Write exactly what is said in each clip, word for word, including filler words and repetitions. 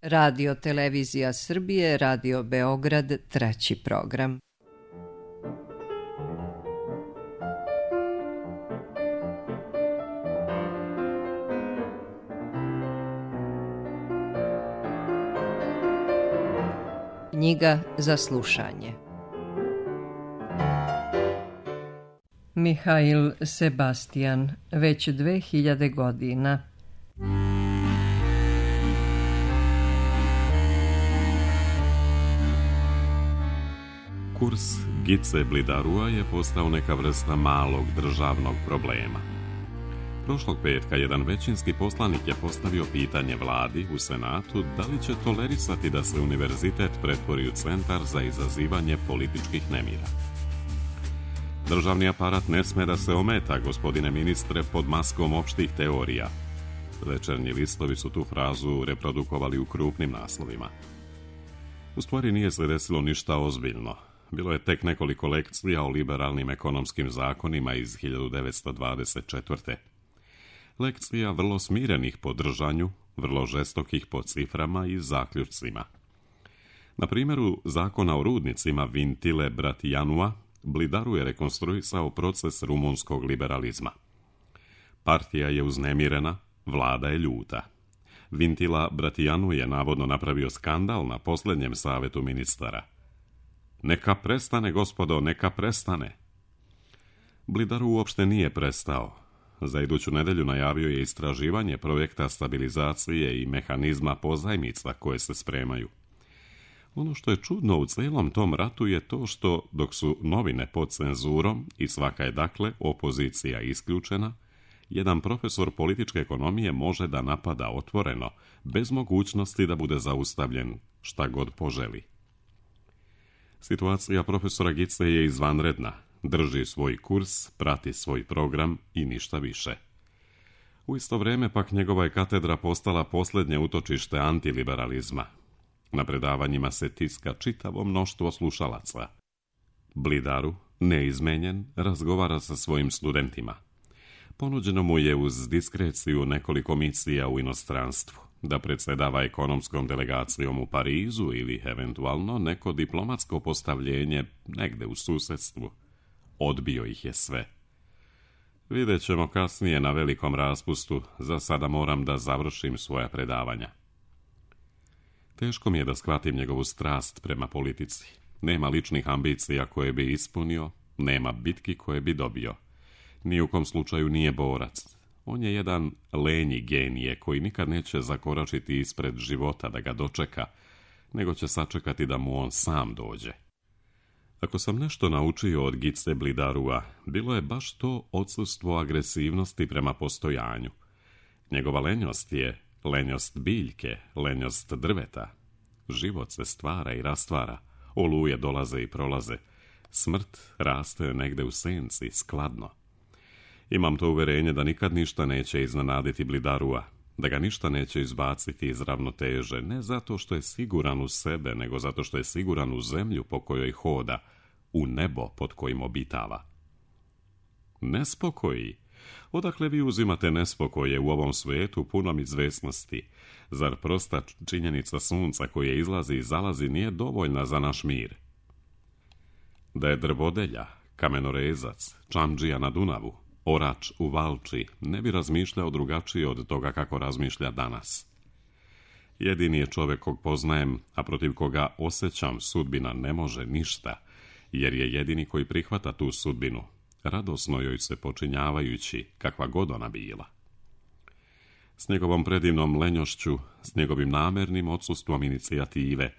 Radio Televizija Srbije, Radio Beograd, treći program. Knjiga za slušanje. Mihail Sebastian, već dve hiljade godina. Kurs Gice Blidarua je postao neka vrsta malog državnog problema. Prošlog petka jedan većinski poslanik je postavio pitanje vladi u Senatu da li će tolerisati da se univerzitet pretvori u centar za izazivanje političkih nemira. Državni aparat ne sme da se ometa, gospodine ministre, pod maskom opštih teorija. Večernji listovi su tu frazu reprodukovali u krupnim naslovima. U stvari nije se desilo ništa ozbiljno. Bilo je tek nekoliko lekcija o liberalnim ekonomskim zakonima iz hiljadu devetsto dvadeset četvrte. Lekcija vrlo smirenih po držanju, vrlo žestokih po ciframa i zaključcima. Na primjeru zakona o rudnicima Vintile Bratijanua, Blidaru je rekonstruisao proces rumunskog liberalizma. Partija je uznemirena, vlada je ljuta. Vintila Bratijanu je navodno napravio skandal na posljednjem savetu ministara. Neka prestane, gospodo, neka prestane. Blidaru uopšte nije prestao. Za iduću nedelju najavio je istraživanje projekta stabilizacije i mehanizma pozajmica koje se spremaju. Ono što je čudno u celom tom ratu je to što, dok su novine pod cenzurom i svaka je dakle opozicija isključena, jedan profesor političke ekonomije može da napada otvoreno, bez mogućnosti da bude zaustavljen šta god poželi. Situacija profesora Gice je izvanredna. Drži svoj kurs, prati svoj program i ništa više. U isto vrijeme pak njegova je katedra postala posljednje utočište antiliberalizma. Na predavanjima se tiska čitavo mnoštvo slušalaca. Blidaru, neizmenjen, razgovara sa svojim studentima. Ponuđeno mu je uz diskreciju nekoliko misija u inostranstvu, da predsjedava ekonomskom delegacijom u Parizu ili eventualno neko diplomatsko postavljenje negde u susjedstvu. Odbio ih je sve. Vidjet ćemo kasnije na velikom raspustu, za sada moram da završim svoja predavanja. Teško mi je da shvatim njegovu strast prema politici. Nema ličnih ambicija koje bi ispunio, nema bitki koje bi dobio. Ni u kom slučaju nije borac. On je jedan lenji genije koji nikad neće zakoračiti ispred života da ga dočeka, nego će sačekati da mu on sam dođe. Ako sam nešto naučio od Gice Blidarua, bilo je baš to odsustvo agresivnosti prema postojanju. Njegova lenjost je lenjost biljke, lenjost drveta. Život se stvara i rastvara, oluje dolaze i prolaze. Smrt raste negde u senci, skladno. Imam to uverenje da nikad ništa neće iznenaditi Blidarua, da ga ništa neće izbaciti iz ravnoteže, ne zato što je siguran u sebe, nego zato što je siguran u zemlju po kojoj hoda, u nebo pod kojim obitava. Nespokoji? Odakle vi uzimate nespokoje u ovom svetu punom izvesnosti? Zar prosta činjenica sunca koje izlazi i zalazi nije dovoljna za naš mir? Da je drvodelja, kamenorezac, čamdžija na Dunavu, orač u Valči, ne bi razmišljao drugačije od toga kako razmišlja danas. Jedini je čovjek kog poznajem, a protiv koga osjećam sudbina ne može ništa, jer je jedini koji prihvata tu sudbinu, radosno joj se počinjavajući, kakva god ona bila. S njegovom predivnom lenjošću, s njegovim namernim odsustvom inicijative,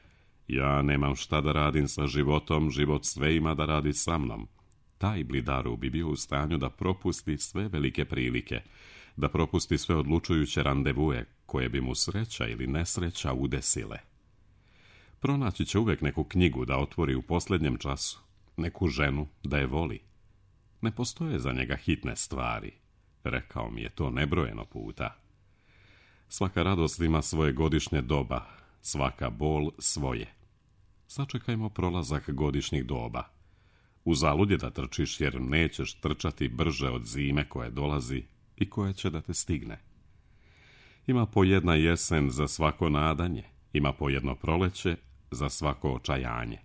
ja nemam šta da radim sa životom, život sve ima da radi sa mnom. Taj Blidaru bi bio u stanju da propusti sve velike prilike, da propusti sve odlučujuće randevue koje bi mu sreća ili nesreća udesile. Pronaći će uvijek neku knjigu da otvori u posljednjem času, neku ženu da je voli. Ne postoje za njega hitne stvari, rekao mi je to nebrojeno puta. Svaka radost ima svoje godišnje doba, svaka bol svoje. Sačekajmo prolazak godišnjih doba. Uzalud je da trčiš jer nećeš trčati brže od zime koje dolazi i koje će da te stigne. Ima po jedna jesen za svako nadanje, Ima po jedno proleće za svako očajanje.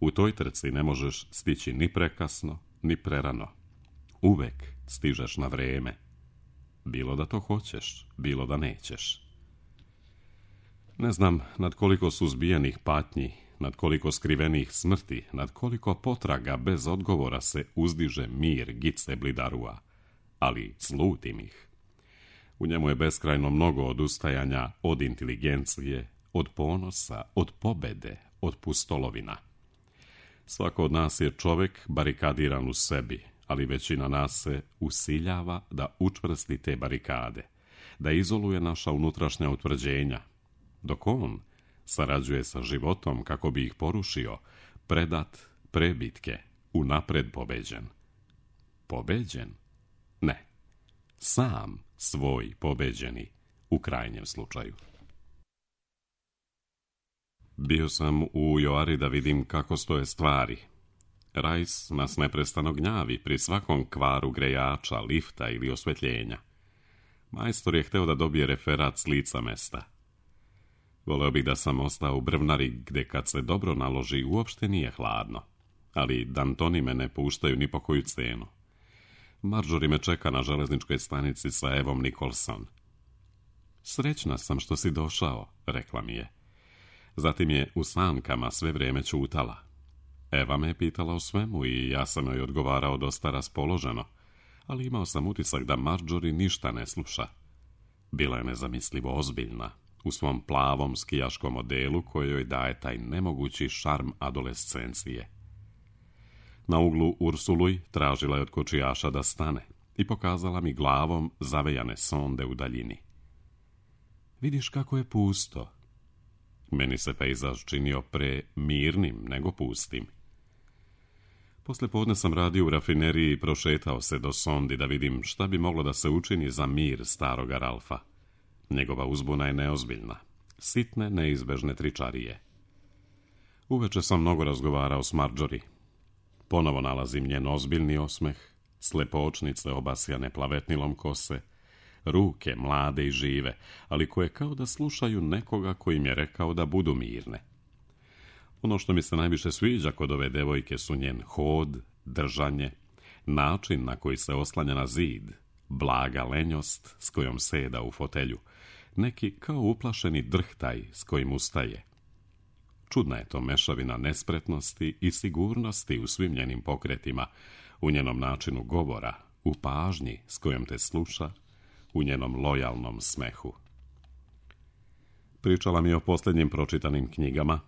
U toj trci ne možeš stići ni prekasno, ni prerano. Uvek stižeš na vreme. Bilo da to hoćeš, bilo da nećeš. Ne znam nad koliko suzbijenih patnji, nad koliko skrivenih smrti, nad koliko potraga bez odgovora se uzdiže mir Gice Blidarua, ali slutim ih. U njemu je beskrajno mnogo odustajanja od inteligencije, od ponosa, od pobede, od pustolovina. Svako od nas je čovjek barikadiran u sebi, ali većina nas se usiljava da učvrsti te barikade, da izoluje naša unutrašnja utvrđenja, dok on sarađuje sa životom kako bi ih porušio, predat prebitke, unapred pobeđen. Pobeđen? Ne. Sam svoj pobeđeni, u krajnjem slučaju. Bio sam u Joari da vidim kako stoje stvari. Rajs nas neprestano gnjavi pri svakom kvaru grejača, lifta ili osvetljenja. Majstor je hteo da dobije referat s lica mesta. Voleo bih da sam ostao u Brvnari, gde kad se dobro naloži uopšte nije hladno, ali Dantoni me ne puštaju ni po koju cenu. Marjorie me čeka na železničkoj stanici sa Evom Nicholson. Srećna sam što si došao, rekla mi je. Zatim je u sankama sve vrijeme ćutala. Eva me je pitala o svemu i ja sam joj odgovarao dosta raspoloženo, ali imao sam utisak da Marjorie ništa ne sluša. Bila je nezamislivo ozbiljna u svom plavom skijaškom modelu kojoj daje taj nemogući šarm adolescencije. Na uglu Ursuluj tražila je od kočijaša da stane i pokazala mi glavom zavejane sonde u daljini. Vidiš kako je pusto. Meni se pejzaž činio pre mirnim nego pustim. Posle podne sam radio u rafineriji i prošetao se do sondi da vidim šta bi moglo da se učini za mir staroga Ralfa. Njegova uzbuna je neozbiljna. Sitne, neizbežne tričarije. Uveče sam mnogo razgovarao s Marjorie. Ponovo nalazim njen ozbiljni osmeh, slepočnice obasjane plavetnilom kose, ruke mlade i žive, ali koje kao da slušaju nekoga koji im je rekao da budu mirne. Ono što mi se najviše sviđa kod ove devojke su njen hod, držanje, način na koji se oslanja na zid, blaga lenjost s kojom seda u fotelju, neki kao uplašeni drhtaj s kojim ustaje. Čudna je to mešavina nespretnosti i sigurnosti u svim njenim pokretima, u njenom načinu govora, u pažnji s kojom te sluša, u njenom lojalnom smehu. Pričala mi je o posljednjim pročitanim knjigama,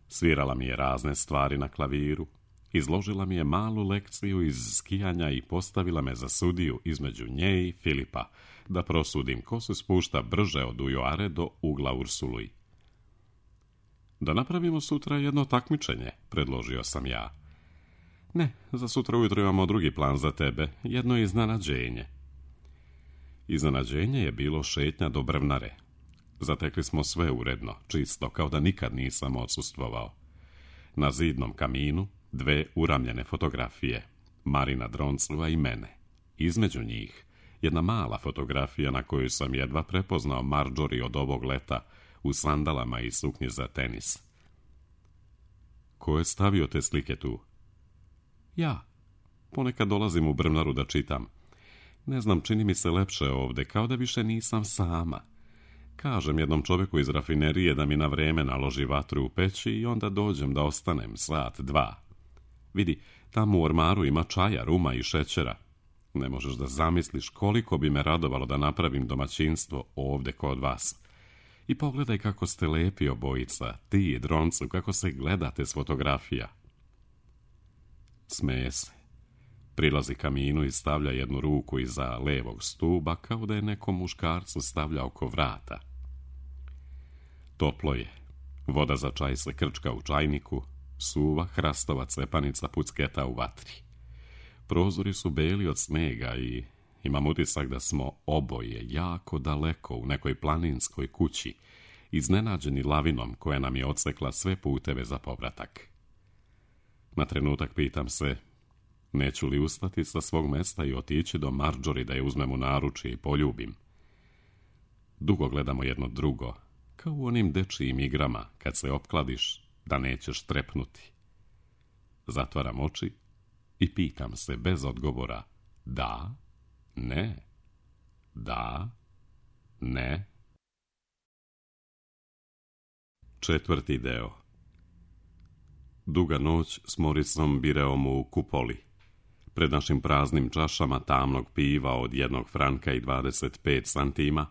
svirala mi je razne stvari na klaviru, izložila mi je malu lekciju iz skijanja i postavila me za sudiju između nje i Filipa, da prosudim ko se spušta brže od Ujoare do ugla Ursuluj. Da napravimo sutra jedno takmičenje, predložio sam ja. Ne, za sutra ujutro imamo drugi plan za tebe, jedno iznenađenje. Iznenađenje je bilo šetnja do Brvnare. Zatekli smo sve uredno, čisto, kao da nikad nisam odsustvovao. Na zidnom kaminu dve uramljene fotografije, Marina Dronclova i mene. Između njih jedna mala fotografija na koju sam jedva prepoznao Marjorie od ovog leta u sandalama i suknji za tenis. Ko je stavio te slike tu? Ja. Ponekad dolazim u Brvnaru da čitam. Ne znam, čini mi se lepše ovde, kao da više nisam sama. Kažem jednom čovjeku iz rafinerije da mi na vreme naloži vatru u peći i onda dođem da ostanem sat, dva. Vidi, tamo u ormaru ima čaja, ruma i šećera. Ne možeš da zamisliš koliko bi me radovalo da napravim domaćinstvo ovde kod vas. I pogledaj kako ste lepi obojica, ti i Droncu, kako se gledate s fotografija. Smeje se. Prilazi kaminu i stavlja jednu ruku iza levog stuba, kao da je nekom muškarcu stavlja oko vrata. Toplo je. Voda za čaj se krčka u čajniku, suva hrastova cepanica pucketa u vatri. Prozori su beli od snega i imam utisak da smo oboje jako daleko u nekoj planinskoj kući, iznenađeni lavinom koja nam je odsekla sve puteve za povratak. Na trenutak pitam se, neću li ustati sa svog mesta i otići do Marjorie da je uzmem u naručje i poljubim. Dugo gledamo jedno drugo, kao u onim dečijim igrama kad se opkladiš da nećeš trepnuti. Zatvaram oči i pitam se bez odgovora da, ne, da, ne. Četvrti deo. Duga noć s Morisom Bireom u kupoli. Pred našim praznim čašama tamnog piva od jednog franka i dvadeset pet santima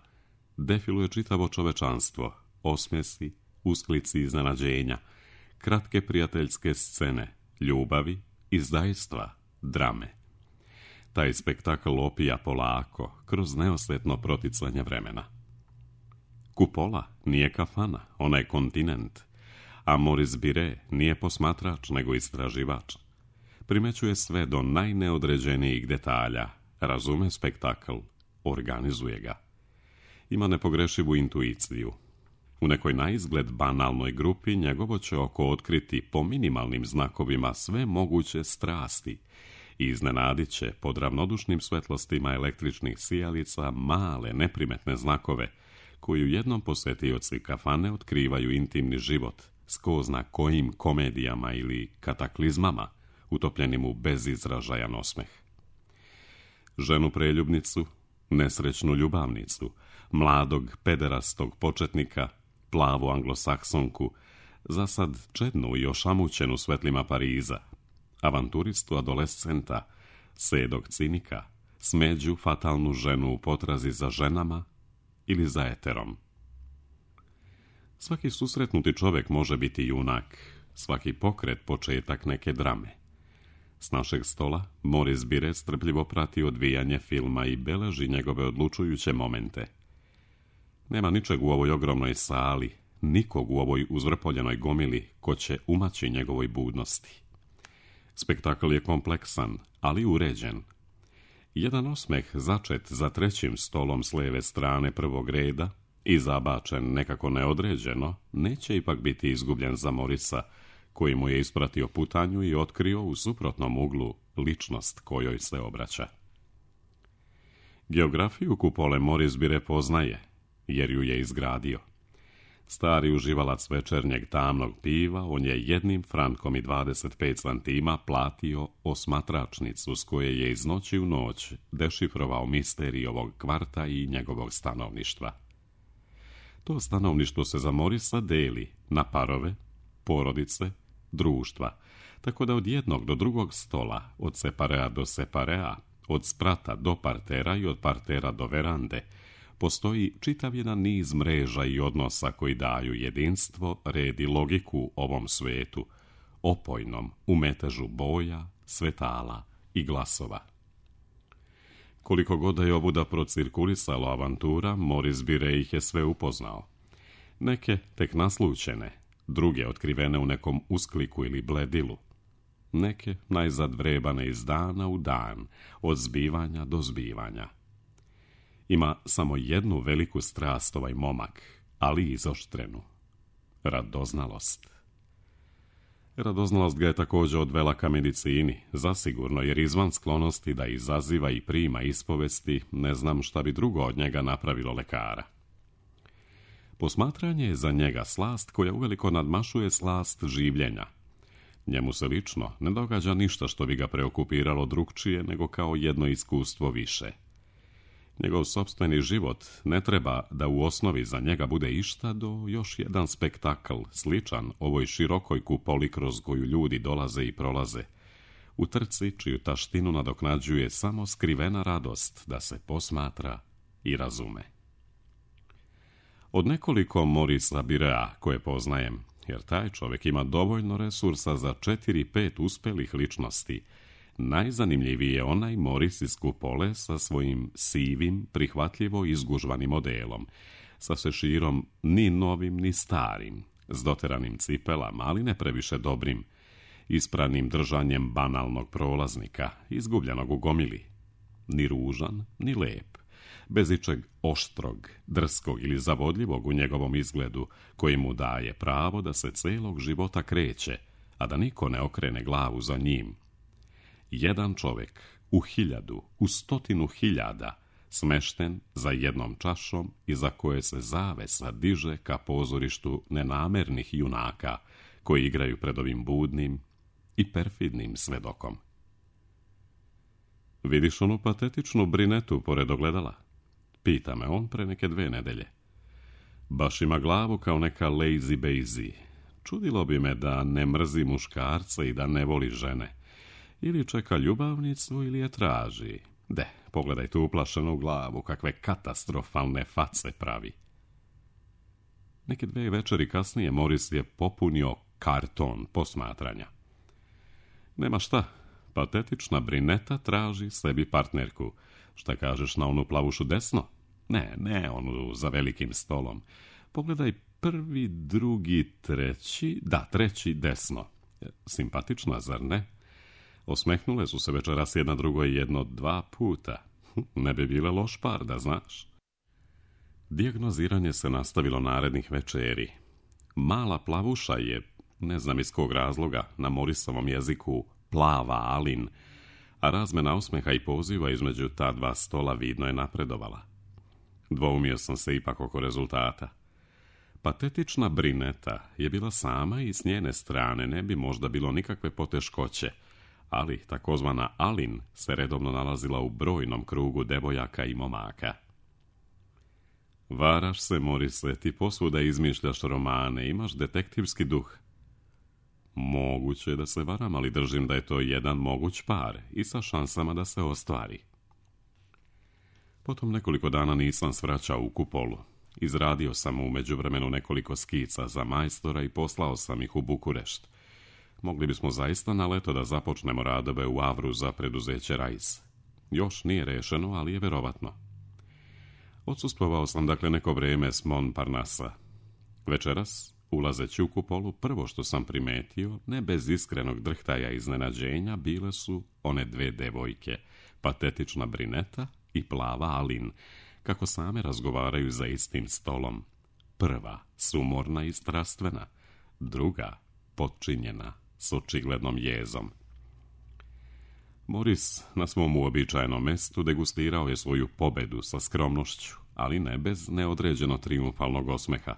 defiluje čitavo čovečanstvo, osmjesi, usklici iznenađenja, kratke prijateljske scene, ljubavi, izdajstva, drame. Taj spektakl opija polako, kroz neosjetno proticanje vremena. Kupola nije kafana, ona je kontinent, a Moris Bire nije posmatrač nego istraživač. Primećuje sve do najneodređenijih detalja, razume spektakl, organizuje ga. Ima nepogrešivu intuiciju. U nekoj naizgled banalnoj grupi njegovo će oko otkriti po minimalnim znakovima sve moguće strasti i iznenadit će pod ravnodušnim svetlostima električnih sijalica male neprimetne znakove koji u jednom posjetioci kafane otkrivaju intimni život s ko zna kojim komedijama ili kataklizmama utopljenim u bezizražajan osmeh. Ženu preljubnicu, nesrećnu ljubavnicu, mladog pederastog početnika, plavu anglosaksonku, zasad čednu i ošamućenu svetlima Pariza, avanturistu adolescenta, sedog cinika, smeđu fatalnu ženu u potrazi za ženama ili za eterom. Svaki susretnuti čovjek može biti junak, svaki pokret početak neke drame. S našeg stola Moris Bire strpljivo prati odvijanje filma i beleži njegove odlučujuće momente. Nema ničeg u ovoj ogromnoj sali, nikog u ovoj uzvrpoljenoj gomili ko će umaći njegovoj budnosti. Spektakl je kompleksan, ali uređen. Jedan osmeh začet za trećim stolom s lijeve strane prvog reda i zabačen nekako neodređeno, neće ipak biti izgubljen za Morisa, koji mu je ispratio putanju i otkrio u suprotnom uglu ličnost kojoj se obraća. Geografiju kupole Moris Bire poznaje, jer ju je izgradio. Stari uživalac večernjeg tamnog piva, on je jednim frankom i dvadeset pet santima platio osmatračnicu s koje je iz noći u noć dešifrovao misterij ovog kvarta i njegovog stanovništva. To stanovništvo se za Morisa deli na parove, porodice, društva, tako da od jednog do drugog stola, od separea do separea, od sprata do partera i od partera do verande, postoji čitav jedan niz mreža i odnosa koji daju jedinstvo, red i logiku ovom svetu, opojnom u metežu boja, svetala i glasova. Koliko god da je ovuda procirkulisala avantura, Moris Bire ih je sve upoznao. Neke tek naslućene, druge otkrivene u nekom uskliku ili bledilu. Neke najzad vrebane iz dana u dan, od zbivanja do zbivanja. Ima samo jednu veliku strast ovaj momak, ali izoštrenu. Radoznalost. Radoznalost ga je također odvela ka medicini, zasigurno, jer izvan sklonosti da izaziva i prima ispovesti, ne znam šta bi drugo od njega napravilo lekara. Posmatranje je za njega slast koja uveliko nadmašuje slast življenja. Njemu se lično ne događa ništa što bi ga preokupiralo drukčije nego kao jedno iskustvo više. Njegov sopstveni život ne treba da u osnovi za njega bude išta do još jedan spektakl, sličan ovoj širokoj kupoli kroz koju ljudi dolaze i prolaze, u trci čiju taštinu nadoknađuje samo skrivena radost da se posmatra i razume. Od nekoliko Morisa Birea koje poznajem, jer taj čovjek ima dovoljno resursa za četiri, pet uspelih ličnosti, najzanimljiviji je onaj Moris iz kupole sa svojim sivim, prihvatljivo izgužvanim modelom, sa šeširom ni novim ni starim, s doteranim cipelama, ali ne previše dobrim, ispranim držanjem banalnog prolaznika, izgubljenog u gomili, ni ružan, ni lep, bez ičeg oštrog, drskog ili zavodljivog u njegovom izgledu, koji mu daje pravo da se celog života kreće, a da niko ne okrene glavu za njim. Jedan čovjek u hiljadu, u stotinu hiljada, smešten za jednom čašom iza koje se zavesa diže ka pozorištu nenamernih junaka koji igraju pred ovim budnim i perfidnim svedokom. Vidiš onu patetičnu brinetu pored ogledala? Pita me on pre neke dve nedelje. Baš ima glavu kao neka lazy bazy. Čudilo bi me da ne mrzi muškarca i da ne voli žene. Ili čeka ljubavnicu ili je traži. De, pogledaj tu uplašenu glavu, kakve katastrofalne face pravi. Neke dve večeri kasnije Moris je popunio karton posmatranja. Nema šta, patetična brineta traži sebi partnerku. Šta kažeš na onu plavušu desno? Ne, ne onu za velikim stolom. Pogledaj prvi, drugi, treći, da, treći desno. Simpatična, zar ne? Osmehnule su se večeras jedna drugoj jedno dva puta. Ne bi bile loš par, da znaš. Dijagnoziranje se nastavilo narednih večeri. Mala plavuša je, ne znam iz kog razloga, na Morisovom jeziku plava Alin, a razmena osmeha i poziva između ta dva stola vidno je napredovala. Dvoumio sam se ipak oko rezultata. Patetična brineta je bila sama i s njene strane ne bi možda bilo nikakve poteškoće, ali takozvana Alin se redovno nalazila u brojnom krugu devojaka i momaka. Varaš se, Morise, ti posvuda izmišljaš romane, imaš detektivski duh. Moguće je da se varam, ali držim da je to jedan moguć par i sa šansama da se ostvari. Potom nekoliko dana nisam svraćao u Kupolu. Izradio sam u međuvremenu nekoliko skica za majstora i poslao sam ih u Bukurešt. Mogli bismo zaista na leto da započnemo radove u Avru za preduzeće Rajs. Još nije rešeno, ali je verovatno. Odsustvovao sam dakle neko vreme s Montparnassa. Večeras, ulazeći u Kupolu, prvo što sam primetio, ne bez iskrenog drhtaja i iznenađenja, bile su one dve devojke, patetična brineta i plava Alin, kako same razgovaraju za istim stolom. Prva, sumorna i strastvena, druga, potčinjena, s očiglednom jezom. Moris na svom uobičajenom mestu degustirao je svoju pobedu sa skromnošću, ali ne bez neodređeno triumfalnog osmeha.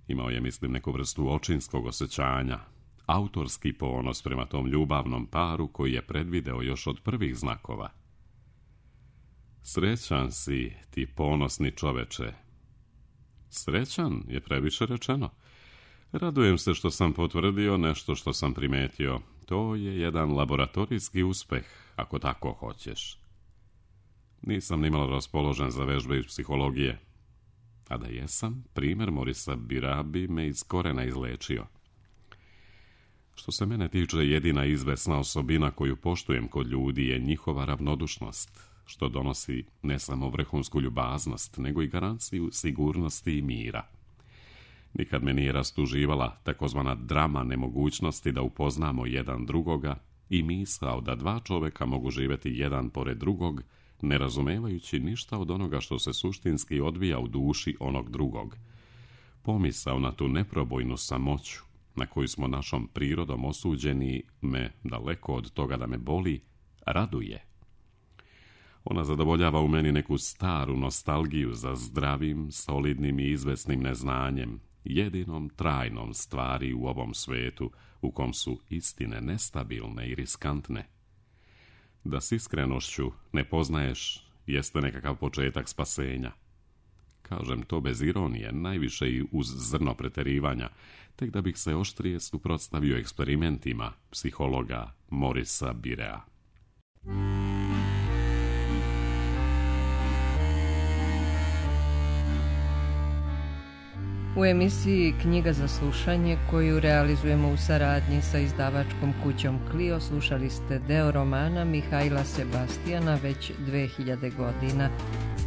Imao je, mislim, neku vrstu očinskog osjećanja, autorski ponos prema tom ljubavnom paru koji je predvideo još od prvih znakova. Srećan si, ti ponosni čoveče. Srećan je previše rečeno. Radujem se što sam potvrdio nešto što sam primetio. To je jedan laboratorijski uspeh, ako tako hoćeš. Nisam nimalo raspoložen za vežbe iz psihologije. A da jesam, primjer Morisa Bira bi me iz korena izlečio. Što se mene tiče, jedina izvesna osobina koju poštujem kod ljudi je njihova ravnodušnost, što donosi ne samo vrhunsku ljubaznost, nego i garanciju sigurnosti i mira. Nikad me nije rastuživala takozvana drama nemogućnosti da upoznamo jedan drugoga i misao da dva čoveka mogu živjeti jedan pored drugog, ne razumevajući ništa od onoga što se suštinski odvija u duši onog drugog. Pomisao na tu neprobojnu samoću, na koju smo našom prirodom osuđeni, me, daleko od toga da me boli, raduje. Ona zadovoljava u meni neku staru nostalgiju za zdravim, solidnim i izvesnim neznanjem, jedinom trajnom stvari u ovom svetu u kom su istine nestabilne i riskantne. Da s iskrenošću ne poznaješ jeste nekakav početak spasenja. Kažem to bez ironije, najviše i uz zrno preterivanja, tek da bih se oštrije suprotstavio eksperimentima psihologa Morisa Birea. U emisiji Knjiga za slušanje, koju realizujemo u saradnji sa izdavačkom kućom Clio, slušali ste deo romana Mihajla Sebastijana već dve hiljade godina.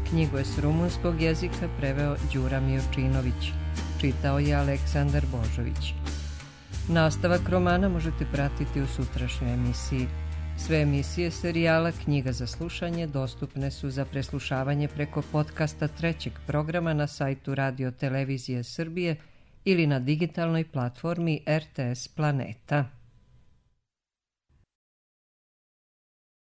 Knjigu je s rumunskog jezika preveo Đura Miočinović. Čitao je Aleksandar Božović. Nastavak romana možete pratiti u sutrašnjoj emisiji. Sve emisije serijala Knjiga za slušanje dostupne su za preslušavanje preko podcasta trećeg programa na sajtu Radio Televizije Srbije ili na digitalnoj platformi R T S Planeta.